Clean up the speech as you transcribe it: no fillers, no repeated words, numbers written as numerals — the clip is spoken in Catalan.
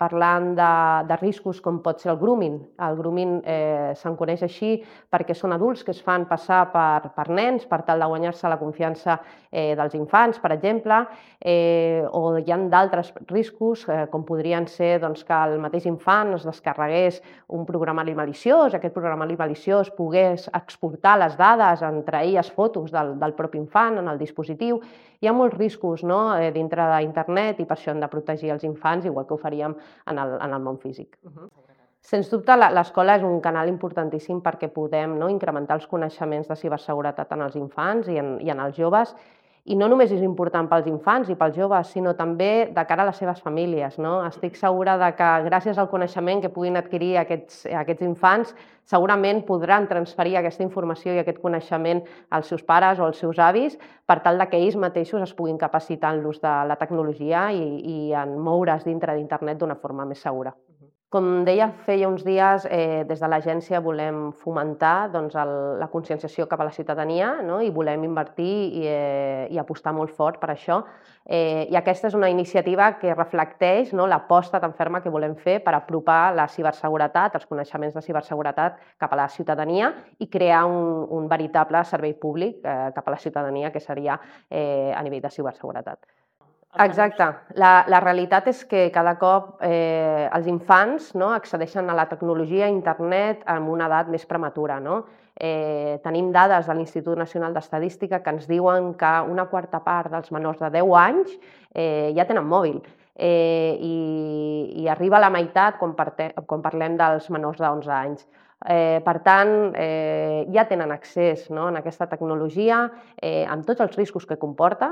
parlant de riscos com pot ser el grooming. El grooming se'n coneix així perquè són adults que es fan passar per nens per tal de guanyar-se la confiança dels infants, per exemple, o hi ha d'altres riscos com podrien ser que el mateix infant es descarregués un programari maliciós, aquest programari maliciós pogués exportar les dades, entre elles fotos del propi infant en el dispositiu. Hi ha molts riscos dintre d'internet i per això hem de protegir els infants, igual que ho faríem en el món físic. Sens dubte, l'escola és un canal importantíssim perquè podem incrementar els coneixements de ciberseguretat en els infants i en els joves. I no només és important pels infants i pels joves, sinó també de cara a les seves famílies. Estic segura que gràcies al coneixement que puguin adquirir aquests infants, segurament podran transferir aquesta informació i aquest coneixement als seus pares o als seus avis per tal que ells mateixos es puguin capacitar en l'ús de la tecnologia i en moure's dintre d'internet d'una forma més segura. Com deia feia uns dies, des de l'agència volem fomentar la conscienciació cap a la ciutadania i volem invertir i apostar molt fort per això. I aquesta és una iniciativa que reflecteix l'aposta tan ferma que volem fer per apropar la ciberseguretat, els coneixements de ciberseguretat cap a la ciutadania i crear un veritable servei públic cap a la ciutadania, que seria a nivell de ciberseguretat. Exacte. La realitat és que cada cop els infants accedeixen a la tecnologia, a internet, amb una edat més prematura. Tenim dades de l'Institut Nacional d'Estadística que ens diuen que una quarta part dels menors de 10 anys ja tenen mòbil i arriba a la meitat quan parlem dels menors de 11 anys. Per tant, ja tenen accés a aquesta tecnologia amb tots els riscos que comporta,